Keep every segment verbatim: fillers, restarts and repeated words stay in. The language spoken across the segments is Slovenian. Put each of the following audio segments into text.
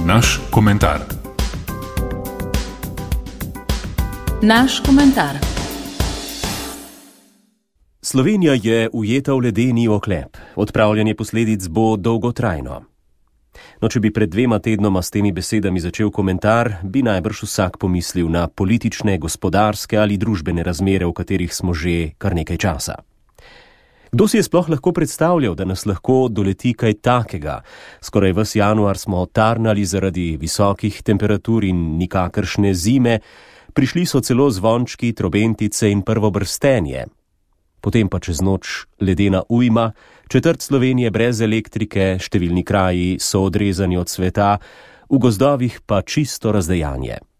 Naš komentar. Naš komentar. Slovenija je ujeta v ledeni oklep. Odpravljanje posledic bo dolgotrajno. No, če bi pred dvema tednoma s temi besedami začel komentar, bi najbrž vsak pomislil na politične, gospodarske ali družbene razmere, v katerih smo že kar nekaj časa. Kdo si je sploh lahko predstavljal, da nas lahko doleti kaj takega? Skoraj ves januar smo tarnali zaradi visokih temperatur in nikakršne zime, prišli so celo zvončki, trobentice in prvo brstenje. Potem pa čez noč ledena ujma, četrt Slovenije brez elektrike, številni kraji so odrezani od sveta, v gozdovih pa čisto razdejanje.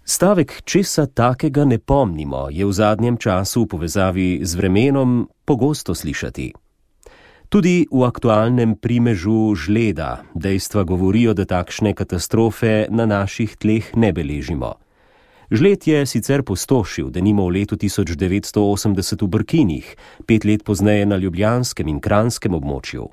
Stavek česa takega ne pomnimo je v zadnjem času v povezavi z vremenom pogosto slišati. Tudi v aktualnem primežu žleda dejstva govorijo, da takšne katastrofe na naših tleh ne beležimo. Žled je sicer pustošil, denimo v letu tisoč devetsto osemdeset v Brkinih, pet let pozneje na ljubljanskem in kranjskem območju.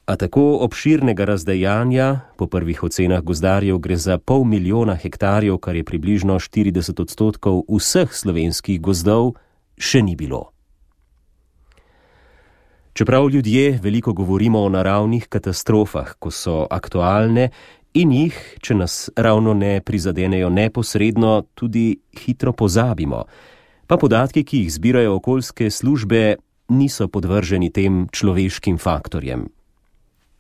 A tako obširnega razdejanja, po prvih ocenah gozdarjev gre za pol milijona hektarjev, kar je približno štirideset odstotkov vseh slovenskih gozdov, še ni bilo. Čeprav ljudje veliko govorimo o naravnih katastrofah, ko so aktualne, in jih, če nas ravno ne prizadenejo neposredno, tudi hitro pozabimo. Pa podatki, ki jih zbirajo okoljske službe, niso podvrženi tem človeškim faktorjem.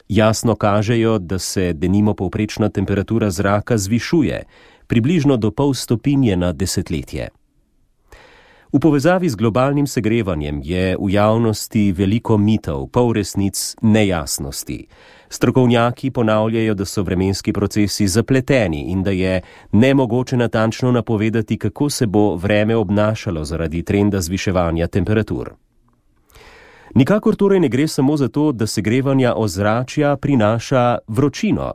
Jasno kažejo, da se denimo povprečna temperatura zraka zvišuje, približno do pol stopinje na desetletje. V povezavi z globalnim segrevanjem je v javnosti veliko mitov, polresnic, nejasnosti. Strokovnjaki ponavljajo, da so vremenski procesi zapleteni in da je nemogoče natančno napovedati, kako se bo vreme obnašalo zaradi trenda zviševanja temperatur. Nikakor torej ne gre samo za to, da segrevanja ozračja prinaša vročino.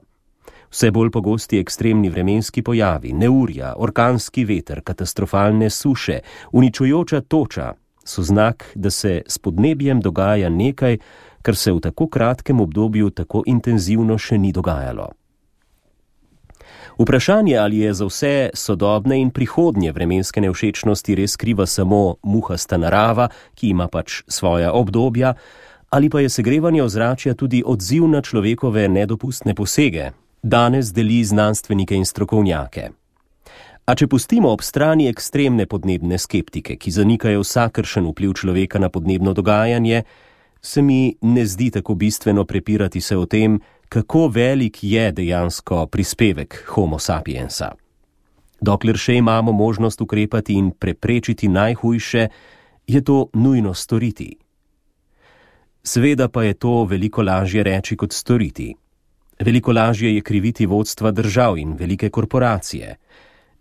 Vse bolj pogosti ekstremni vremenski pojavi, neurja, orkanski veter, katastrofalne suše, uničujoča toča so znak, da se s podnebjem dogaja nekaj, kar se v tako kratkem obdobju tako intenzivno še ni dogajalo. Vprašanje, ali je za vse sodobne in prihodnje vremenske nevšečnosti res kriva samo muhasta narava, ki ima pač svoja obdobja, ali pa je segrevanje ozračja tudi odziv na človekove nedopustne posege, danes deli znanstvenike in strokovnjake. A če pustimo ob strani ekstremne podnebne skeptike, ki zanikajo vsakršen vpliv človeka na podnebno dogajanje, se mi ne zdi tako bistveno prepirati se o tem, kako velik je dejansko prispevek Homo sapiensa. Dokler še imamo možnost ukrepati in preprečiti najhujše, je to nujno storiti. Seveda pa je to veliko lažje reči kot storiti. Veliko lažje je kriviti vodstva držav in velike korporacije.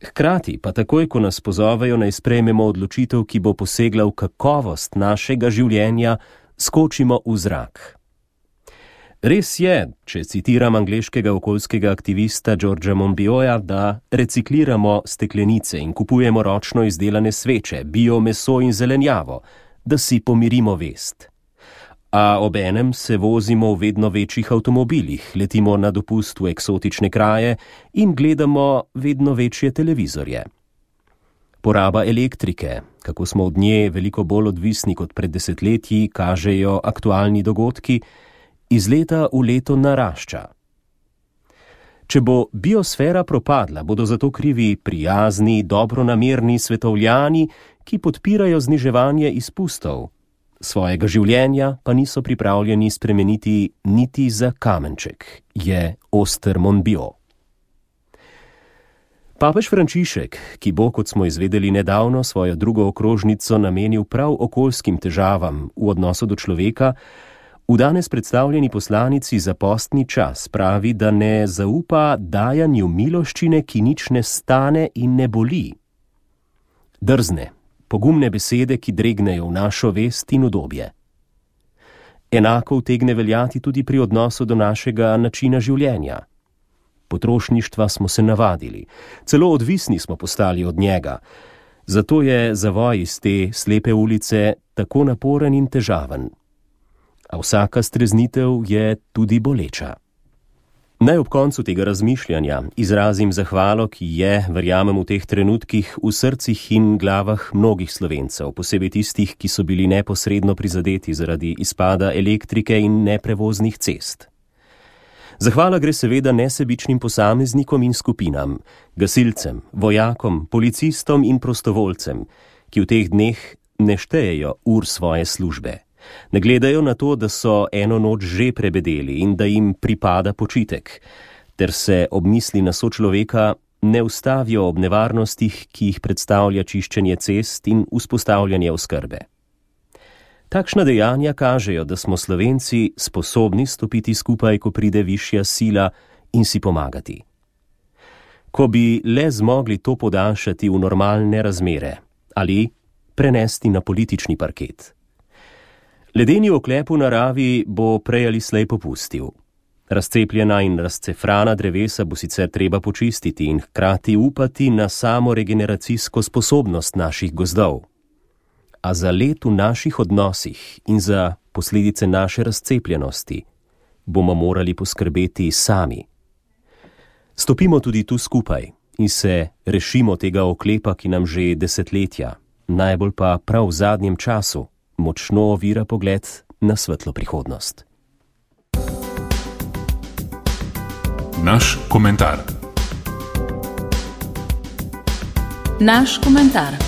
Hkrati pa takoj, ko nas pozovejo, naj sprejmemo odločitev, ki bo posegla v kakovost našega življenja, skočimo v zrak. Res je, če citiram angleškega okoljskega aktivista Georgea Monbiota, da recikliramo steklenice in kupujemo ročno izdelane sveče, bio meso in zelenjavo, da si pomirimo vest. A obenem se vozimo v vedno večjih avtomobilih, letimo na dopust v eksotične kraje in gledamo vedno večje televizorje. Poraba elektrike, kako smo od nje veliko bolj odvisni kot pred desetletji, kažejo aktualni dogodki, iz leta v leto narašča. Če bo biosfera propadla, bodo zato krivi prijazni, dobronamerni svetovljani, ki podpirajo zniževanje izpustov. Svojega življenja pa niso pripravljeni spremeniti niti za kamenček, je oster Monbiot. Papež Frančišek, ki bo, kot smo izvedeli nedavno, svojo drugo okrožnico namenil prav okoljskim težavam v odnosu do človeka, v danes predstavljeni poslanici za postni čas pravi, da ne zaupa dajanju miloščine, ki nič ne stane in ne boli. Drzne, pogumne besede, ki dregnejo v našo vest in udobje. Enako utegne veljati tudi pri odnosu do našega načina življenja. Potrošništva smo se navadili, celo odvisni smo postali od njega. Zato je zavoj iz te slepe ulice tako naporen in težaven. A vsaka streznitev je tudi boleča. Naj ob koncu tega razmišljanja izrazim zahvalo, ki je, verjamem, v teh trenutkih v srcih in glavah mnogih Slovencev, posebej tistih, ki so bili neposredno prizadeti zaradi izpada elektrike in neprevoznih cest. Zahvala gre seveda nesebičnim posameznikom in skupinam, gasilcem, vojakom, policistom in prostovoljcem, ki v teh dneh ne štejejo ur svoje službe. Ne gledajo na to, da so eno noč že prebedeli in da jim pripada počitek, ter se ob misli na sočloveka ne ustavijo ob nevarnostih, ki jih predstavlja čiščenje cest in vzpostavljanje oskrbe. Takšna dejanja kažejo, da smo Slovenci sposobni stopiti skupaj, ko pride višja sila, in si pomagati. Ko bi le zmogli to podaljšati v normalne razmere ali prenesti na politični parket. Ledeni oklep v naravi bo prej ali slej popustil. Razcepljena in razcefrana drevesa bo sicer treba počistiti in hkrati upati na samo regeneracijsko sposobnost naših gozdov. A za let v naših odnosih in za posledice naše razcepljenosti bomo morali poskrbeti sami. Stopimo tudi tu skupaj in se rešimo tega oklepa, ki nam že desetletja, najbolj pa prav v zadnjem času, močno ovira pogled na svetlo prihodnost. Naš komentar. Naš komentar.